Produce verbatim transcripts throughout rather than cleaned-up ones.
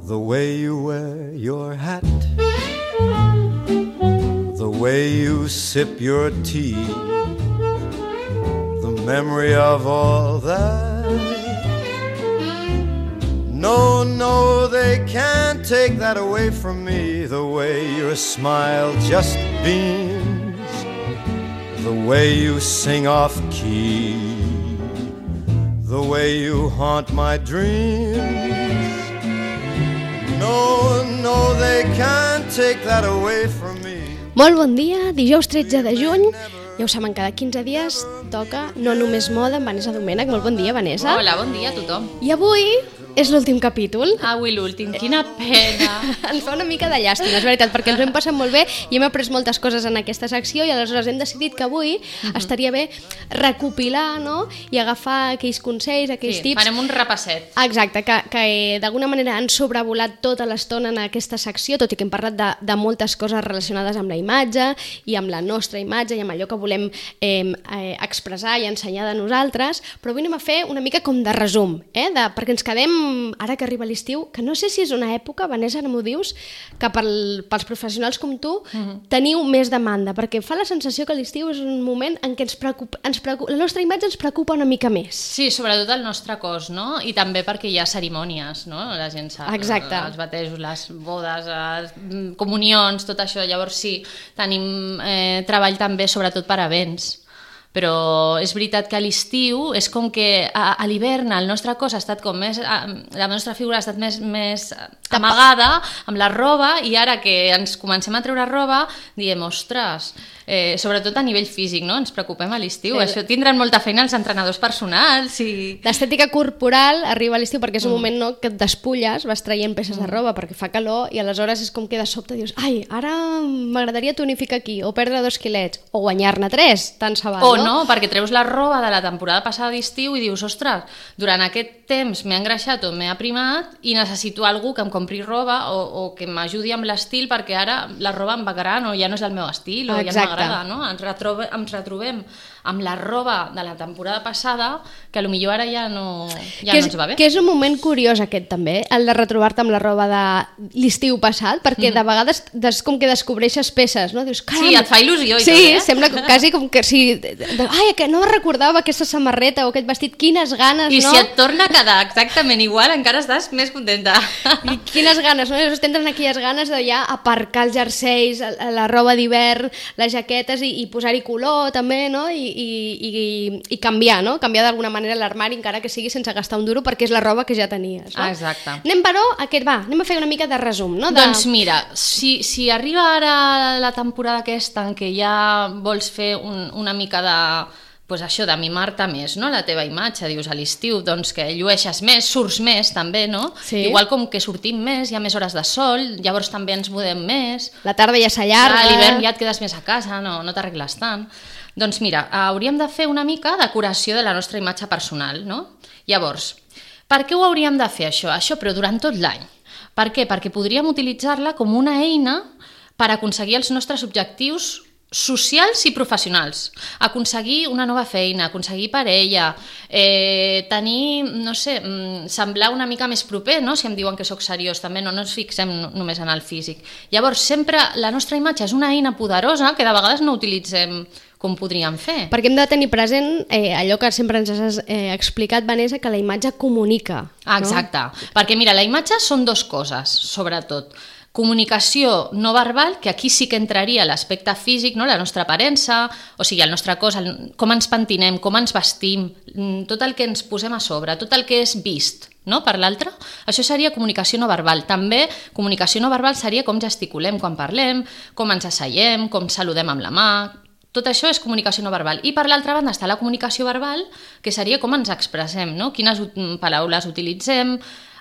The way you wear your hat, the way you sip your tea, the memory of all that. No, no, they can't take that away from me. The way your smile just beams, the way you sing off key, the way you haunt my dreams. No, no, they can't take that away from me. Molt bon dia, dijous tretze de juny. Ja ho saben, cada quinze dies toca No Només Moda amb Vanessa Domènech. Molt bon dia, Vanessa. Hola, bon dia a tothom. I avui és l'últim capítol. Avui l'últim, quina pena. Ens fa una mica de llàstima, és veritat, perquè ens ho hem passat molt bé i hem après moltes coses en aquesta secció i aleshores hem decidit que avui uh-huh. estaria bé recopilar, no? I agafar aquells consells, aquells sí, tips. Farem un repasset. Exacte, que, que d'alguna manera han sobrevolat tota l'estona en aquesta secció, tot i que hem parlat de, de moltes coses relacionades amb la imatge i amb la nostra imatge i amb allò que volem eh, eh, expressar i ensenyar de nosaltres, però avui anem a fer una mica com de resum, eh? de, perquè ens quedem ara que arriba l'estiu, que no sé si és una època, Vanessa, no m'ho dius, que pel, pels professionals com tu uh-huh. teniu més demanda, perquè fa la sensació que l'estiu és un moment en què ens preocupa, ens preocupa, la nostra imatge ens preocupa una mica més. Sí, sobretot el nostre cos, no? I també perquè hi ha cerimònies, no? La gent sap, exacte. Els batejos, les bodes, les comunions, tot això. Llavors sí, tenim eh, treball també sobretot per a events. Però és veritat que a l'estiu és com que a, a l'hivern el nostre cos ha estat com més, la nostra figura ha estat més, més amagada amb la roba i ara que ens comencem a treure roba diem, ostres, eh, sobretot a nivell físic, no? Ens preocupem a l'estiu, sí. Això tindran molta feina els entrenadors personals i... L'estètica corporal arriba a l'estiu perquè és un mm. moment, no?, que et despulles, vas traient peces mm. de roba perquè fa calor i aleshores és com que de sobte dius, ai, ara m'agradaria tonificar aquí o perdre dos quilets o guanyar-ne tres, tant se val, o no? no, perquè treus la roba de la temporada passada d'estiu i dius, ostres, durant aquest temps m'he engreixat o m'he aprimat i necessito algú que em compri roba o, o que m'ajudi amb l'estil perquè ara la roba em va gran o ja no és el meu estil o exacte. Ja no m'agrada, no? Ens, retrobe, ens retrobem amb la roba de la temporada passada que potser ara ja no, ja no és, ens va bé. Que és un moment curiós aquest també, el de retrobar-te amb la roba de l'estiu passat, perquè mm-hmm. de vegades des, com que descobreixes peces, no? Dius, caram! Sí, et fa il·lusió i sí, tot, eh? Sí, sembla quasi com que si... Ai, que no recordava aquesta samarreta o aquest vestit, quines ganes, I no? I si et torna a quedar exactament igual, encara estàs més contenta. I quines ganes, no? Llavors tenen aquelles ganes de ja aparcar els jerseis, la roba d'hivern, les jaquetes i, i posar-hi color també, no? I, i, i, i canviar, no? Canviar d'alguna manera l'armari, encara que sigui sense gastar un duro, perquè és la roba que ja tenies, no? Exacte. Anem, però, aquest, va, anem a fer una mica de resum, no? De... Doncs mira, si, si arriba ara la temporada aquesta en què ja vols fer un, una mica de... pues això, de mimar-te més, no? La teva imatge, dius a l'estiu, doncs que llueixes més, surts més també, no? Sí. Igual com que sortim més, hi ha més hores de sol, llavors també ens mudem més. La tarda ja s'allarga. A l'hivern ja et quedes més a casa, no, no t'arregles tant. Doncs mira, hauríem de fer una mica de curació de la nostra imatge personal, no? Llavors, per què ho hauríem de fer això? Això, però durant tot l'any. Per què? Perquè podríem utilitzar-la com una eina per aconseguir els nostres objectius socials i professionals, aconseguir una nova feina, aconseguir parella, eh, tenir, no sé, semblar una mica més proper, no? Si em diuen que sóc seriós, també no, no ens fixem només en el físic. Llavors, sempre la nostra imatge és una eina poderosa que de vegades no utilitzem com podríem fer. Perquè hem de tenir present eh, allò que sempre ens has eh, explicat, Vanessa, que la imatge comunica. Exacte, no? Perquè mira, la imatge són dues coses, sobretot. Comunicació no verbal, que aquí sí que entraria l'aspecte físic, no? La nostra aparença, o sigui, el nostre cos, el, com ens pentinem, com ens vestim, tot el que ens posem a sobre, tot el que és vist, no? Per l'altre, això seria comunicació no verbal. També comunicació no verbal seria com gesticulem quan parlem, com ens asseiem, com saludem amb la mà. Tot això és comunicació no verbal. I per l'altra banda està la comunicació verbal, que seria com ens expressem, no? Quines paraules utilitzem,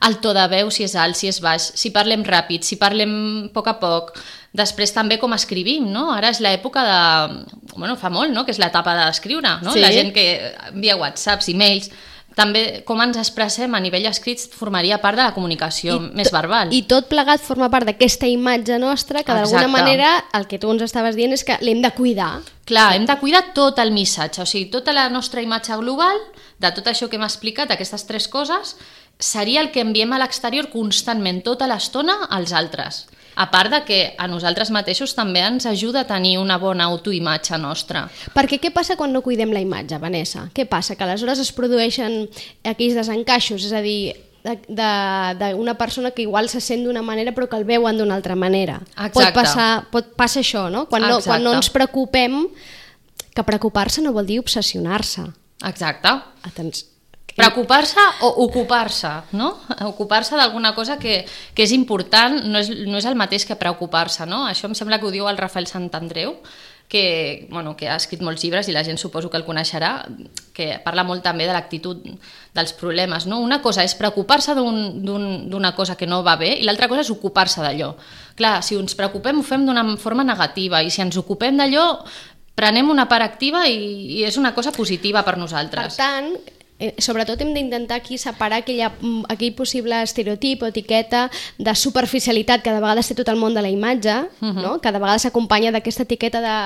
el to de veu, si és alt, si és baix, si parlem ràpid, si parlem a poc a poc. Després també com escrivim, no? Ara és l'època de... Bueno, fa molt, no?, que és l'etapa d'escriure, no? Sí. La gent que envia whatsapps, e-mails... També com ens expressem a nivell escrit formaria part de la comunicació I més verbal. I tot plegat forma part d'aquesta imatge nostra que d'alguna manera el que tu ens estaves dient és que l'hem de cuidar. Clar, hem de cuidar tot el missatge, o sigui, tota la nostra imatge global, de tot això que hem explicat, aquestes tres coses, seria el que enviem a l'exterior constantment, tota l'estona, als altres. A part de que a nosaltres mateixos també ens ajuda a tenir una bona autoimatge nostra. Perquè què passa quan no cuidem la imatge, Vanessa? Què passa? Que aleshores es produeixen aquells desencaixos, és a dir, d'una persona que igual se sent d'una manera però que el veuen d'una altra manera. Exacte. Pot passar, pot passar això, no? Quan, no? quan no ens preocupem, que preocupar-se no vol dir obsessionar-se. Exacte. Atenció. Preocupar-se o ocupar-se, no? Ocupar-se d'alguna cosa que, que és important, no és, no és el mateix que preocupar-se, no? Això em sembla que ho diu el Rafael Santandreu, que, bueno, que ha escrit molts llibres i la gent suposo que el coneixerà, que parla molt també de l'actitud dels problemes, no? Una cosa és preocupar-se d'una cosa que no va bé i l'altra cosa és ocupar-se d'allò. Clar, si ens preocupem ho fem d'una forma negativa i si ens ocupem d'allò prenem una part activa i, i és una cosa positiva per nosaltres. Per tant, eh, sobretot hem d'intentar aquí separar aquella, aquell possible estereotip o etiqueta de superficialitat que de vegades té tot el món de la imatge, uh-huh. no? Que de vegades s'acompanya d'aquesta etiqueta de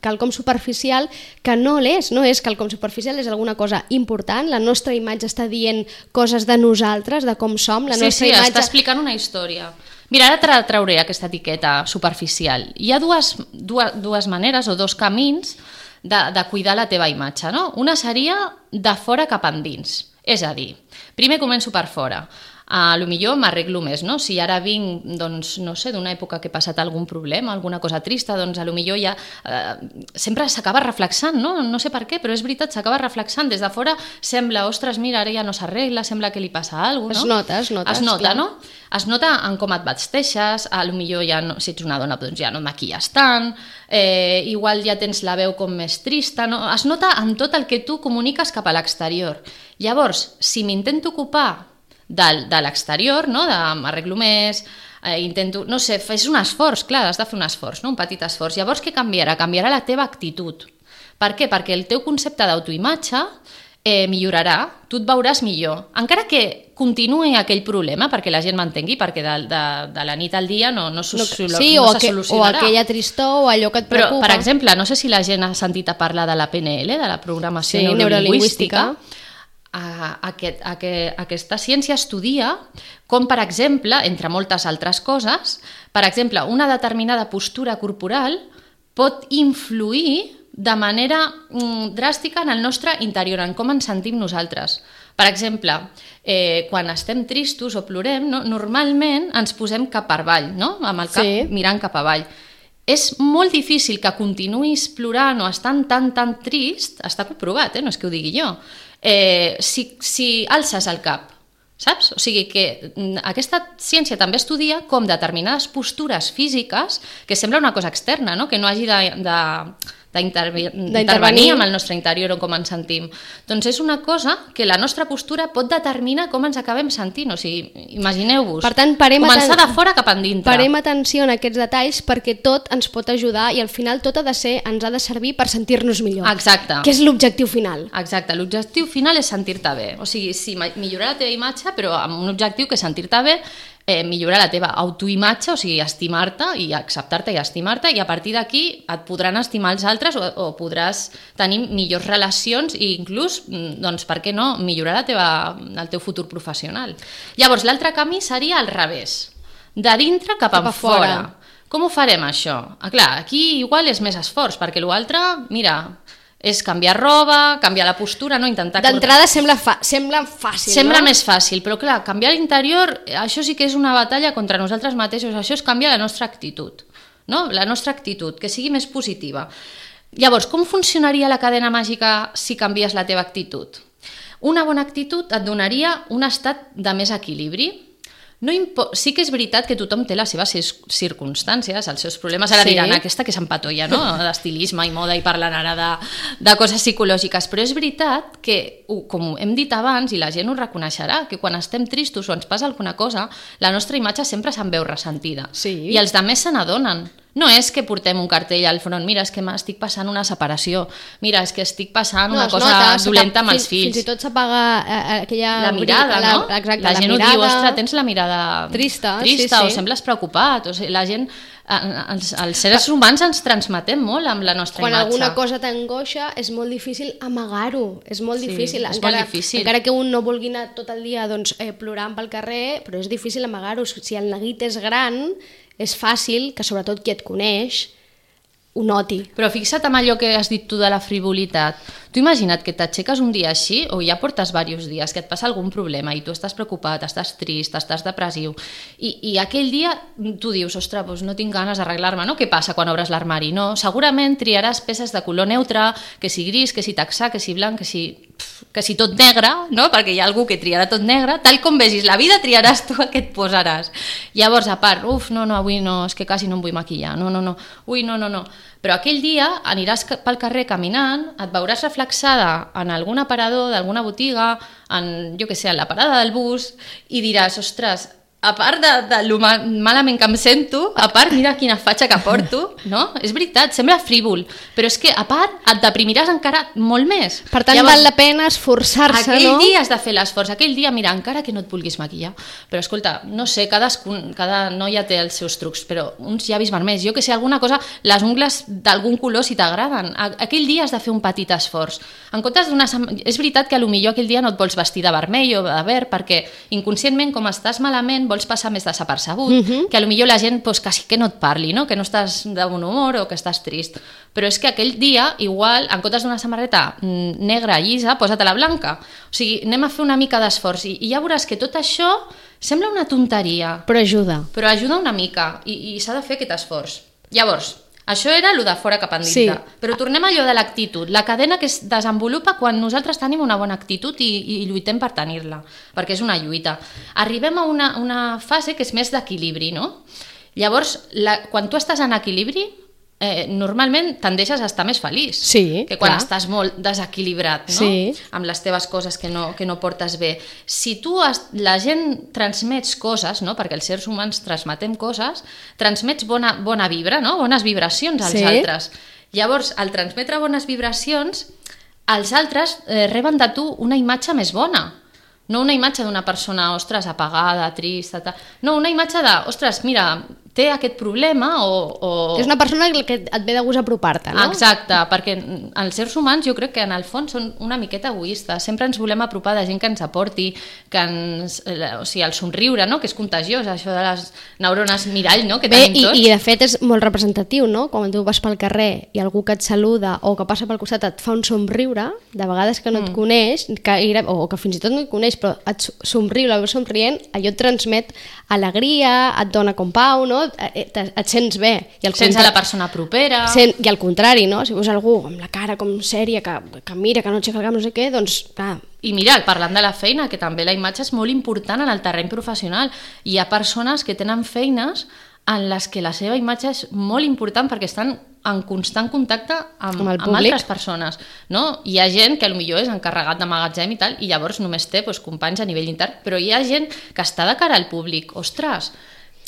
quelcom superficial que no l'és, no és quelcom superficial, és alguna cosa important, la nostra imatge està dient coses de nosaltres, de com som, la sí, nostra sí, imatge... està explicant una història. Mira, ara tra trauré aquesta etiqueta superficial. Hi ha dues, dues, dues maneres o dos camins de, de cuidar la teva imatge, no? Una seria de fora cap endins, és a dir, primer començo per fora. A lo millor m'arreglo més, no? Si ara vinc, doncs, no sé, d'una època que he passat algun problema, alguna cosa trista, doncs a lo millor ja... Eh, sempre s'acaba reflexant, no? No sé per què, però és veritat, s'acaba reflexant. Des de fora sembla, ostres, mira, ara ja no s'arregla, sembla que li passa alguna cosa, no? Es nota, es nota. Es nota, clar. no? Es nota en com et vesteixes, a lo millor ja no, si ets una dona doncs ja no et maquilles tant, eh, igual ja tens la veu com més trista, no? Es nota en tot el que tu comuniques cap a l'exterior. Llavors, si m'intento ocupar de, de l'exterior, no? De m'arreglo més, eh, intento, no sé, fes un esforç, clar, has de fer un esforç, no? Un petit esforç. Llavors què canviarà? Canviarà la teva actitud. Per què? Perquè el teu concepte d'autoimatge eh, millorarà, tu et veuràs millor. Encara que continuï aquell problema, perquè la gent m'entengui, perquè de, de, de la nit al dia no, no, no, sí, no o se aqu solucionarà. O aquella tristor o allò que et preocupa. Però, per exemple, no sé si la gent ha sentit a parlar de la P N L, de la programació sí, neurolingüística. Aquest, aquest, aquesta ciència estudia com, per exemple, entre moltes altres coses, per exemple, una determinada postura corporal pot influir de manera mm, dràstica en el nostre interior, en com ens sentim nosaltres. Per exemple, eh, quan estem tristos o plorem, no? Normalment ens posem cap per avall, no? Amb el cap sí. mirant cap avall. És molt difícil que continuïs plorant o estant tan, tan trist, està comprovat, eh? No és que ho digui jo, eh, si, si alces el cap, saps? O sigui que aquesta ciència també estudia com determinades postures físiques, que sembla una cosa externa, no? Que no hagi de... de d'intervenir amb el nostre interior o com ens sentim. Doncs és una cosa que la nostra postura pot determinar com ens acabem sentint. O sigui, imagineu-vos, començar de fora cap endintre. Parem atenció en aquests detalls perquè tot ens pot ajudar i al final tot ha de ser, ens ha de servir per sentir-nos millor. Exacte. Que és l'objectiu final. Exacte, l'objectiu final és sentir-te bé. O sigui, sí, millorar la teva imatge, però amb un objectiu que és sentir-te bé, Eh, millorar la teva autoimatge, o sigui, estimar-te i acceptar-te i estimar-te, i a partir d'aquí et podran estimar els altres o, o podràs tenir millors relacions i inclús, doncs, per què no, millorar la teva, el teu futur professional. Llavors, l'altre camí seria al revés, de dintre cap, cap a fora. fora. Com ho farem, això? Ah, clar, aquí igual és més esforç, perquè l'altre, mira... és canviar roba, canviar la postura, no? Intentar... D'entrada sembla, fa sembla fàcil, Sembla no? més fàcil, però clar, canviar l'interior, això sí que és una batalla contra nosaltres mateixos, això és canviar la nostra actitud, no? La nostra actitud, que sigui més positiva. Llavors, com funcionaria la cadena màgica si canvies la teva actitud? Una bona actitud et donaria un estat de més equilibri. No sí que és veritat que tothom té les seves circumstàncies, els seus problemes. Ara sí. diran, aquesta que s'empatolla, no? D'estilisme i moda i parlen ara de, de coses psicològiques, però és veritat que, com hem dit abans, i la gent ho reconeixerà, que quan estem tristos o ens passa alguna cosa, la nostra imatge sempre se'n veu ressentida. Sí. I els altres se n'adonen. No és que portem un cartell al front, mira, és que m'estic passant una separació, mira, és que estic passant No, una es cosa nota, dolenta amb fins- els fills. Fins i tot s'apaga eh, aquella... La mirada, la, no? Exacte, la gent la ho mirada... diu, ostres, tens la mirada Trista, trista sí, o sí. sembles preocupat. O sigui, la gent, eh, els, els seres humans ens transmetem molt amb la nostra Quan imatge. alguna cosa t'angoixa és molt difícil amagar-ho, és molt Sí, difícil. és encara, molt difícil. Encara que un no vulgui anar tot el dia doncs, eh, plorant pel carrer, però és difícil amagar-ho. Si el neguit és gran, és fàcil que sobretot qui et coneix ho noti. Però fixa't en allò que has dit tu de la frivolitat. Tu imagina't que t'aixeques un dia així, o ja portes diversos dies, que et passa algun problema i tu estàs preocupat, estàs trist, estàs depressiu, i, i aquell dia tu dius, ostres, doncs no tinc ganes d'arreglar-me, no? Què passa quan obres l'armari? No, segurament triaràs peces de color neutre, que si gris, que si texà, que si blanc, que si, que si tot negre, no? Perquè hi ha algú que triarà tot negre, tal com vegis la vida triaràs tu el que et posaràs. Llavors, a part, uf, no, no, avui no, és que quasi no em vull maquillar, no, no, no, ui, no, no, no. Però aquell dia aniràs pel carrer caminant, et veuràs reflexada en algun aparador d'alguna botiga, en, jo què sé, en la parada del bus, i diràs, ostres, a part de, de lo mal, malament que em sento, a part, mira quina fatxa que porto, no? És veritat, sembla frívol, però és que, a part, et deprimiràs encara molt més. Per tant, Llavors, val la pena esforçar-se, aquell no? dia has de fer l'esforç, aquell dia, mira, encara que no et vulguis maquillar, però escolta, no sé, cadascun, cada noia té els seus trucs, però uns llavis vermells, jo que sé, alguna cosa, les ungles d'algun color si t'agraden, aquell dia has de fer un petit esforç. En comptes d'una... És veritat que potser aquell dia no et vols vestir de vermell o de verd, perquè inconscientment, com estàs malament, vols passar més desapercebut, uh -huh. que potser la gent pues, quasi que no et parli, no? Que no estàs de bon humor o que estàs trist. Però és que aquell dia, igual, en comptes d'una samarreta negra llisa, posa-te-la blanca. O sigui, anem a fer una mica d'esforç i, i ja veuràs que tot això sembla una tonteria. Però ajuda. Però ajuda una mica i, i s'ha de fer aquest esforç. Llavors, això era el de fora cap endintre. Sí. Però tornem a allò de l'actitud, la cadena que es desenvolupa quan nosaltres tenim una bona actitud i, i lluitem per tenir-la, perquè és una lluita. Arribem a una, una fase que és més d'equilibri, no? Llavors, la, quan tu estàs en equilibri, eh, normalment tendeixes a estar més feliç Sí, que quan clar. estàs molt desequilibrat, no? Sí. Amb les teves coses que no, que no portes bé. Si tu, has, la gent transmets coses, no? Perquè els sers humans transmetem coses, transmets bona, bona vibra, no? Bones vibracions als Sí. altres. Llavors, al transmetre bones vibracions, els altres eh, reben de tu una imatge més bona. No una imatge d'una persona, ostres, apagada, trista, tal. No, una imatge de, ostres, mira, té aquest problema o... o... És una persona que et ve de gust apropar-te, no? Exacte, perquè els sers humans jo crec que en el fons són una miqueta egoistes. Sempre ens volem apropar de gent que ens aporti, que ens, o sigui, el somriure, no? Que és contagiós, això de les neurones mirall, no? Que Bé, tenim i, tots. i de fet és molt representatiu, no? Quan tu vas pel carrer i algú que et saluda o que passa pel costat et fa un somriure, de vegades que no et Mm. coneix, que, o que fins i tot no et coneix, però et somriu, la veus somrient, allò et transmet alegria, et dona com pau, no? Et, et sents bé. I al Sense contra- la persona propera... Sent, I al contrari, no? Si veus algú amb la cara com sèria, que, que mira, que no aixeca el cap, no sé què, doncs, clar, I mira, parlant de la feina, que també la imatge és molt important en el terreny professional. Hi ha persones que tenen feines en les que la seva imatge és molt important perquè estan en constant contacte amb, Amb el amb públic. altres persones. No? Hi ha gent que potser és encarregat de magatzem i tal, i llavors només té doncs, companys a nivell intern, però hi ha gent que està de cara al públic. Ostres,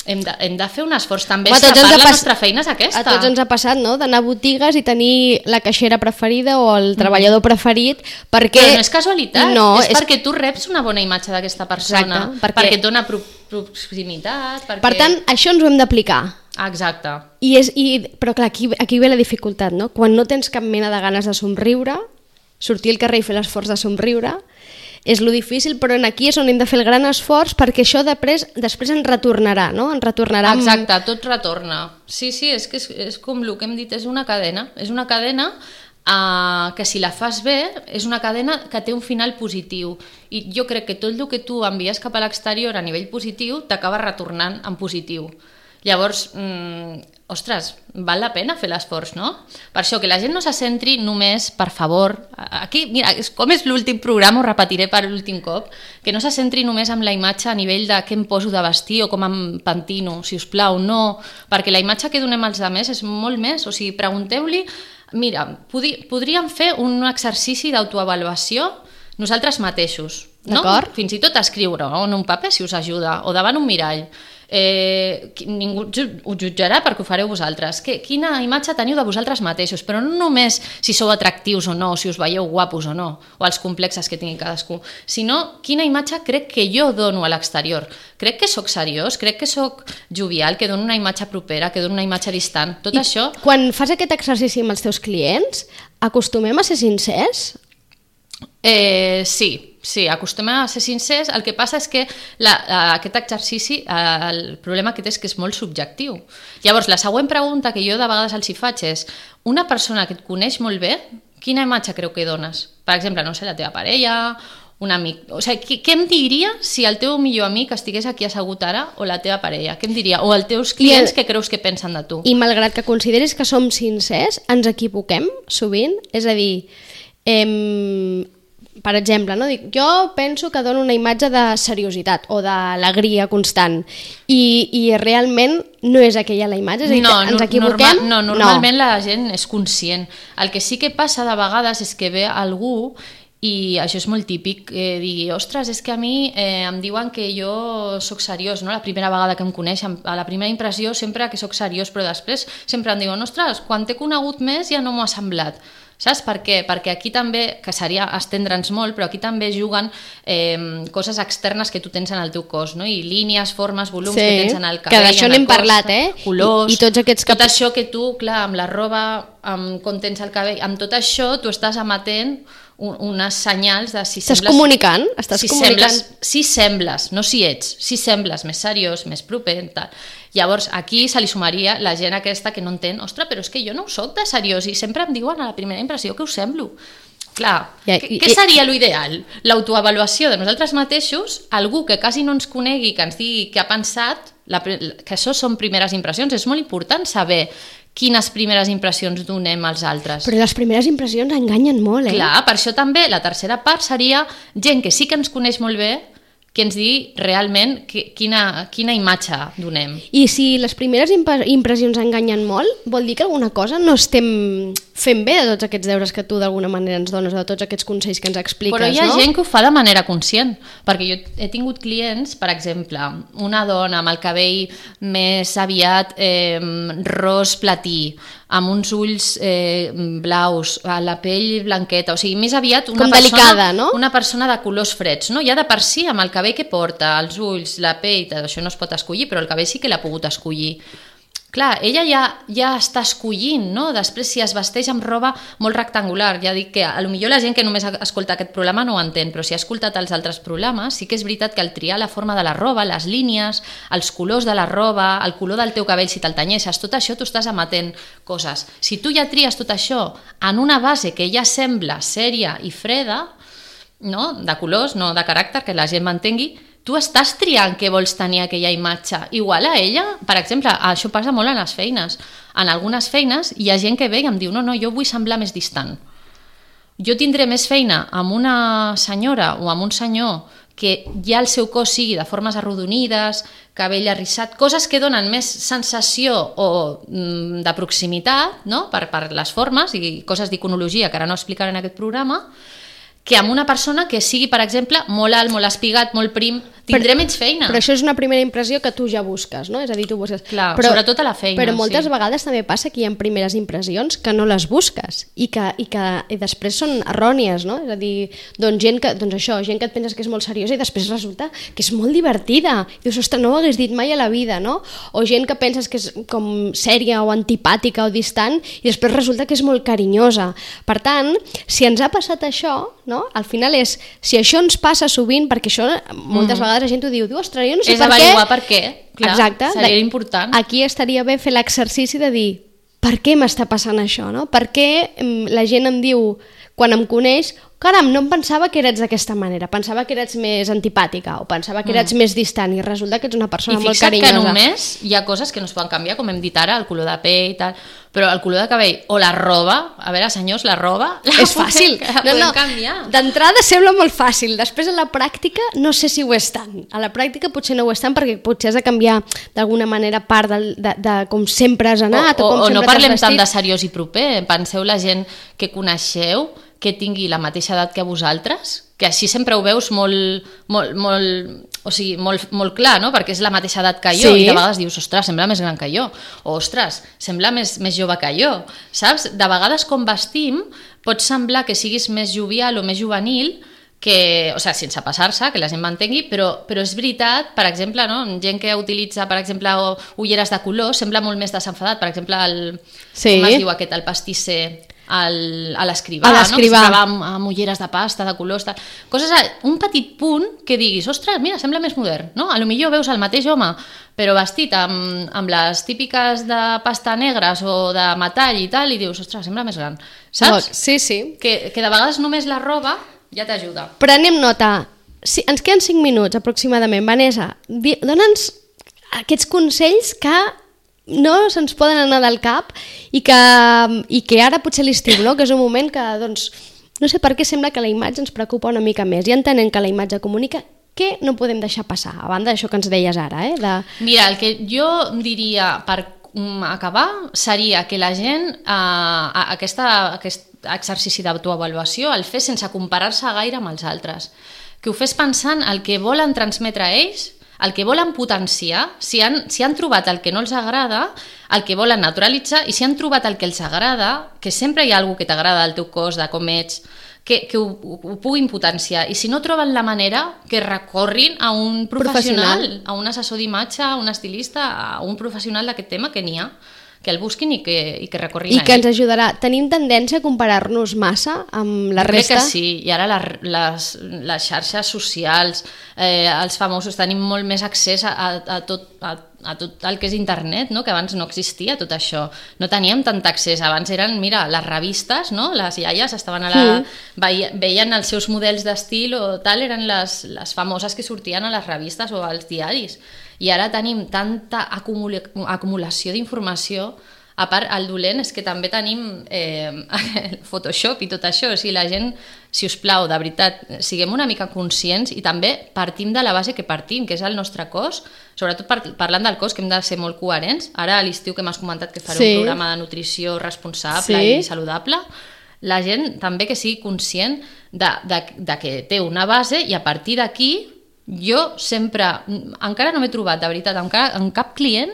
hem de, hem de fer un esforç. També Home, és tots la ens part, ha la pas- nostra feina és aquesta. a tots ens ha passat, no?, d'anar a botigues i tenir la caixera preferida o el treballador preferit, perquè... Però no és casualitat, no, és, és perquè tu reps una bona imatge d'aquesta persona, Exacte, perquè- perquè et dona pro proximitat... Perquè... Per tant, això ens ho hem d'aplicar. Exacte. I és, i, però clar, aquí, aquí ve la dificultat, no? Quan no tens cap mena de ganes de somriure, sortir al carrer i fer l'esforç de somriure, és lo difícil, però en aquí és on hem de fer el gran esforç perquè això després, després ens retornarà, no? Ens retornarà amb... Exacte, tot retorna. Sí, sí, és que és, és com el que hem dit, és una cadena. És una cadena uh, que si la fas bé, és una cadena que té un final positiu. I jo crec que tot el que tu envies cap a l'exterior a nivell positiu t'acaba retornant en positiu. Llavors, mm, ostres, val la pena fer l'esforç, no? Per això, que la gent no se centri només, per favor, aquí, mira, és, com és l'últim programa, ho repetiré per l'últim cop, que no se centri només amb la imatge a nivell de què em poso de vestir o com em pentino, si us plau, no, perquè la imatge que donem als altres és molt més, o sigui, pregunteu-li, mira, podri, podríem fer un exercici d'autoavaluació nosaltres mateixos, no? D'acord. Fins i tot escriure o en un paper si us ajuda, o davant un mirall. eh, ningú us jutjarà perquè ho fareu vosaltres. Que, quina imatge teniu de vosaltres mateixos, però no només si sou atractius o no, si us veieu guapos o no, o els complexes que tingui cadascú, sinó quina imatge crec que jo dono a l'exterior. Crec que sóc seriós, crec que sóc jovial, que dono una imatge propera, que dono una imatge distant. Tot I això... Quan fas aquest exercici amb els teus clients, acostumem a ser sincers? Eh, sí, sí, acostumem a ser sincers. El que passa és que la, aquest exercici, el problema que té és que és molt subjectiu. Llavors, la següent pregunta que jo de vegades els hi faig és: una persona que et coneix molt bé, quina imatge creu que dones? Per exemple, no sé, la teva parella, un amic... O sigui, què, què em diria si el teu millor amic estigués aquí assegut ara, o la teva parella? Què em diria? O els teus clients, el... què creus que pensen de tu? I malgrat que consideris que som sincers, ens equivoquem sovint? És a dir, eh, per exemple, no? Dic, jo penso que dono una imatge de seriositat o d'alegria constant i, i realment no és aquella la imatge, és a dir, no, que ens equivoquem? Normal, no, normalment no. La gent és conscient. El que sí que passa de vegades és que ve algú i això és molt típic, eh, digui, ostres, és que a mi eh, em diuen que jo sóc seriós, no? La primera vegada que em coneixen, a la primera impressió sempre que sóc seriós, però després sempre em diuen, ostres, quan t'he conegut més ja no m'ho ha semblat. Saps per què? Perquè aquí també, que seria estendre'ns molt, però aquí també juguen eh, coses externes que tu tens en el teu cos, no? I línies, formes, volums sí, que tens en el cabell, que d'això n'hem parlat, eh? Colors, I, i tots aquests... tot això que tu, clar, amb la roba, amb com tens el cabell, amb tot això tu estàs emetent unes senyals de si estàs sembles... comunicant, estàs si comunicant. Sembles, si sembles, no si ets, si sembles més seriós, més proper, tal. Llavors, aquí se li sumaria la gent aquesta que no entén, ostres, però és que jo no ho soc de seriós i sempre em diuen a la primera impressió que ho semblo. Clar, ja, i, què seria l'ideal? L'autoavaluació de nosaltres mateixos, algú que quasi no ens conegui, que ens digui què ha pensat, la, que això són primeres impressions, és molt important saber quines primeres impressions donem als altres. Però les primeres impressions enganyen molt, eh? Clar, per això també la tercera part seria gent que sí que ens coneix molt bé, que ens digui realment que, quina, quina imatge donem. I si les primeres impressions enganyen molt, vol dir que alguna cosa no estem fent bé de tots aquests deures que tu d'alguna manera ens dones, de tots aquests consells que ens expliques, no? Però hi ha no? gent que ho fa de manera conscient, perquè jo he tingut clients, per exemple, una dona amb el cabell més aviat eh, ros platí, amb uns ulls eh, blaus, la pell blanqueta, o sigui, més aviat una com persona, delicada, no? Una persona de colors freds, no? Ja de per si, amb el cabell que porta, els ulls, la pell, això no es pot escollir, però el cabell sí que l'ha pogut escollir. Clar, ella ja, ja està escollint, no? Després, si es vesteix amb roba molt rectangular, ja dic que a lo millor la gent que només escolta aquest programa no ho entén, però si ha escoltat els altres programes, sí que és veritat que al triar la forma de la roba, les línies, els colors de la roba, el color del teu cabell, si te'l tenyeixes, tot això tu estàs emetent coses. Si tu ja tries tot això en una base que ja sembla sèria i freda, no? De colors, no de caràcter, que la gent m'entengui, tu estàs triant què vols tenir aquella imatge. Igual a ella, per exemple, això passa molt en les feines. En algunes feines hi ha gent que ve i em diu no, no, jo vull semblar més distant. Jo tindré més feina amb una senyora o amb un senyor que ja el seu cos sigui de formes arrodonides, cabell arrissat, coses que donen més sensació o mm, de proximitat, no? per, per les formes i coses d'iconologia que ara no explicaré en aquest programa, que amb una persona que sigui, per exemple, molt alt, molt espigat, molt prim, tindré menys feina. Però això és una primera impressió que tu ja busques, no? És a dir, tu busques... Clar, però, sobretot a la feina, Però moltes sí. vegades també passa que hi ha primeres impressions que no les busques i que, i que i després són errònies, no? És a dir, doncs gent que, doncs això, gent que et penses que és molt seriosa i després resulta que és molt divertida. I dius, ostres, no ho hagués dit mai a la vida, no? O gent que penses que és com sèria o antipàtica o distant i després resulta que és molt carinyosa. Per tant, si ens ha passat això, no? Al final és, si això ens passa sovint, perquè això moltes mm-hmm. vegades la gent ho diu, diu, ostres, jo no sé és per què... És avaluar per què, clar, exacte, seria important. Aquí estaria bé fer l'exercici de dir, per què m'està passant això, no? Per què la gent em diu, quan em coneix, caram, no em pensava que eres d'aquesta manera, pensava que eres més antipàtica o pensava que eres mm. més distant i resulta que ets una persona molt carinyosa. I fixa't que només hi ha coses que no es poden canviar, com hem dit ara, el color de pell i tal, però el color de cabell o la roba, a veure senyors, la roba la és fàcil, la no, no. canviar. D'entrada sembla molt fàcil, després a la pràctica no sé si ho és tant, a la pràctica potser no ho és tant perquè potser has de canviar d'alguna manera part de, de, de com sempre has anat o, o, o com o sempre no parlem t'has vestit. Tant de seriós i proper, penseu la gent que coneixeu que tingui la mateixa edat que vosaltres, que així sempre ho veus molt, molt, molt, o sigui, molt, molt clar, no? Perquè és la mateixa edat que jo, sí. I de vegades dius, ostres, sembla més gran que jo, o ostres, sembla més, més jove que jo, saps? De vegades com vestim pot semblar que siguis més jovial o més juvenil, que, o sigui, sense passar-se, que la gent m'entengui, però, però és veritat, per exemple, no? Gent que utilitza, per exemple, ulleres de color, sembla molt més desenfadat, per exemple, el, sí. com es diu aquest, el pastisser, el, a l'escrivà, no? Que s'acaba amb, amb ulleres de pasta, de colors, tal. Coses, un petit punt que diguis, ostres, mira, sembla més modern, no? A lo millor veus el mateix home, però vestit amb, amb les típiques de pasta negres o de metall i tal, i dius, ostres, sembla més gran, saps? Sí, sí. Que, que de vegades només la roba ja t'ajuda. Prenem nota. Sí, ens queden cinc minuts aproximadament. Vanessa, dona'ns aquests consells que no se'ns poden anar del cap i que, i que ara potser l'estiu, no? Que és un moment que, doncs, no sé per què sembla que la imatge ens preocupa una mica més. I entenent que la imatge comunica, què no podem deixar passar? A banda d'això que ens deies ara, eh? De... Mira, el que jo diria per acabar seria que la gent eh, aquesta, aquest exercici d'autoavaluació el fes sense comparar-se gaire amb els altres, que ho fes pensant el que volen transmetre a ells, el que volen potenciar, si han, si han trobat el que no els agrada, el que volen naturalitzar, i si han trobat el que els agrada, que sempre hi ha alguna que t'agrada del teu cos, de com ets, que, que ho, ho puguin potenciar. I si no troben la manera, que recorrin a un professional, professional. A un assessor d'imatge, a un estilista, a un professional d'aquest tema, que n'hi ha, que el busquin i que, i que recorrin I a que ell. ens ajudarà. Tenim tendència a comparar-nos massa amb la resta? Crec que sí, i ara les, les, les xarxes socials, eh, els famosos, tenim molt més accés a, a, tot, a, a tot el que és internet, no? Que abans no existia tot això. No teníem tant accés, abans eren, mira, les revistes, no? Les iaies estaven a la... Mm. veien els seus models d'estil o tal, eren les, les famoses que sortien a les revistes o als diaris. I ara tenim tanta acumula acumulació d'informació, a part el dolent és que també tenim eh, Photoshop i tot això, o sigui, la gent, si us plau, de veritat, siguem una mica conscients i també partim de la base que partim, que és el nostre cos, sobretot par parlant del cos, que hem de ser molt coherents. Ara a l'estiu que m'has comentat que faré sí. un programa de nutrició responsable sí. i saludable, la gent també que sigui conscient de, de, de que té una base i a partir d'aquí jo sempre, encara no m'he trobat de veritat en cap, en cap client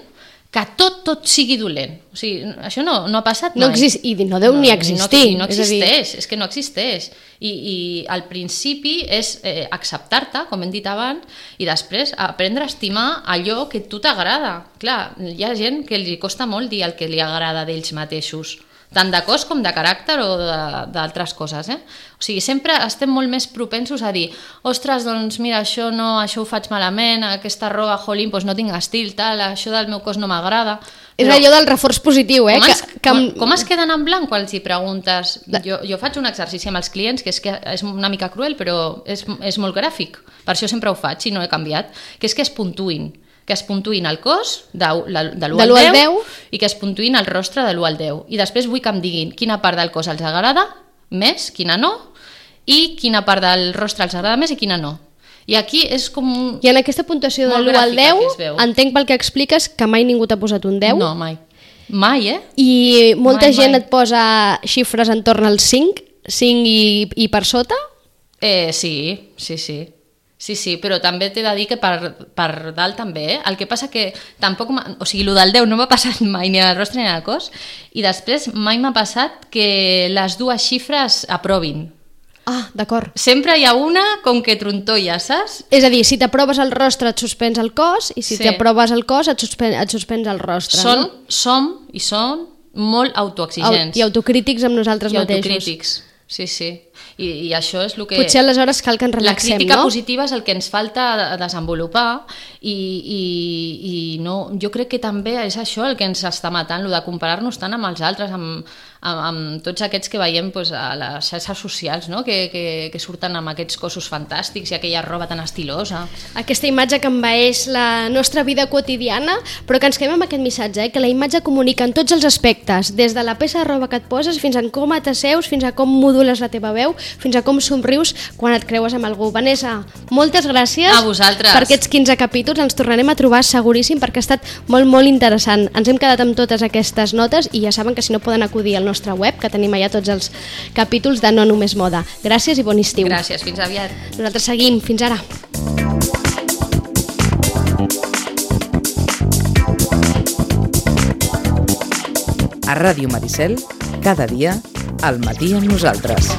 que tot, tot sigui dolent. O sigui, això no, no ha passat no mai. Exist, I no deu no, ni existir. No, no existeix, és, és que no existeix. I, i al principi és eh, acceptar-te, com hem dit abans, i després aprendre a estimar allò que a tu t'agrada. Clar, hi ha gent que li costa molt dir el que li agrada d'ells mateixos, tant de cos com de caràcter o d'altres coses, eh? O sigui, sempre estem molt més propensos a dir, ostres, doncs mira, això no, això ho faig malament, aquesta roba, jolín, doncs no tinc estil, tal, això del meu cos no m'agrada. És allò del reforç positiu, eh? Com es, que, que... Com, com es queden en blanc quan els hi preguntes? Jo, jo faig un exercici amb els clients, que és, que és una mica cruel, però és, és molt gràfic. Per això sempre ho faig i no he canviat, que és que es puntuïn. que es puntuïn el cos de, de l'u al deu i que es puntuïn el rostre de l'u al deu. I després vull que em diguin quina part del cos els agrada més, quina no, i quina part del rostre els agrada més i quina no. I aquí és com... I en aquesta puntuació de l'u al deu, entenc pel que expliques que mai ningú t'ha posat un deu. No, mai. Mai, eh? I molta mai, gent mai. et posa xifres entorn al cinc, cinc i, i per sota? Eh, sí, sí, sí. Sí, sí, però també t'he de dir que per, per dalt també, eh? El que passa que tampoc... O sigui, el del deu no m'ha passat mai ni al rostre ni al cos, i després mai m'ha passat que les dues xifres aprovin. Ah, d'acord. Sempre hi ha una com que trontolla, saps? És a dir, si t'aproves el rostre et suspens el cos, i si sí. t'aproves el cos et, suspen et suspens el rostre. Són, no? Som i són molt autoexigents. I autocrítics amb nosaltres I mateixos. I autocrítics, sí, sí. I, i això és el que... Potser aleshores cal que ens relaxem, no? La crítica positiva és el que ens falta desenvolupar i, i, i no, jo crec que també és això el que ens està matant, el de comparar-nos tant amb els altres, amb, amb, amb tots aquests que veiem pues, a les xarxes socials, no? que, que, que surten amb aquests cossos fantàstics i aquella roba tan estilosa. Aquesta imatge que envaeix la nostra vida quotidiana, però que ens quedem amb aquest missatge, eh? Que la imatge comunica en tots els aspectes, des de la peça de roba que et poses fins a com t'asseus, fins a com modules la teva veu, veu, fins a com somrius quan et creues amb algú. Vanessa, moltes gràcies a vosaltres per aquests quinze capítols. Ens tornarem a trobar seguríssim perquè ha estat molt, molt interessant. Ens hem quedat amb totes aquestes notes i ja saben que si no poden acudir al nostre web, que tenim allà tots els capítols de No Només Moda. Gràcies i bon estiu. Gràcies, fins aviat. Nosaltres seguim, fins ara. A Ràdio Maricel, cada dia, al matí amb nosaltres.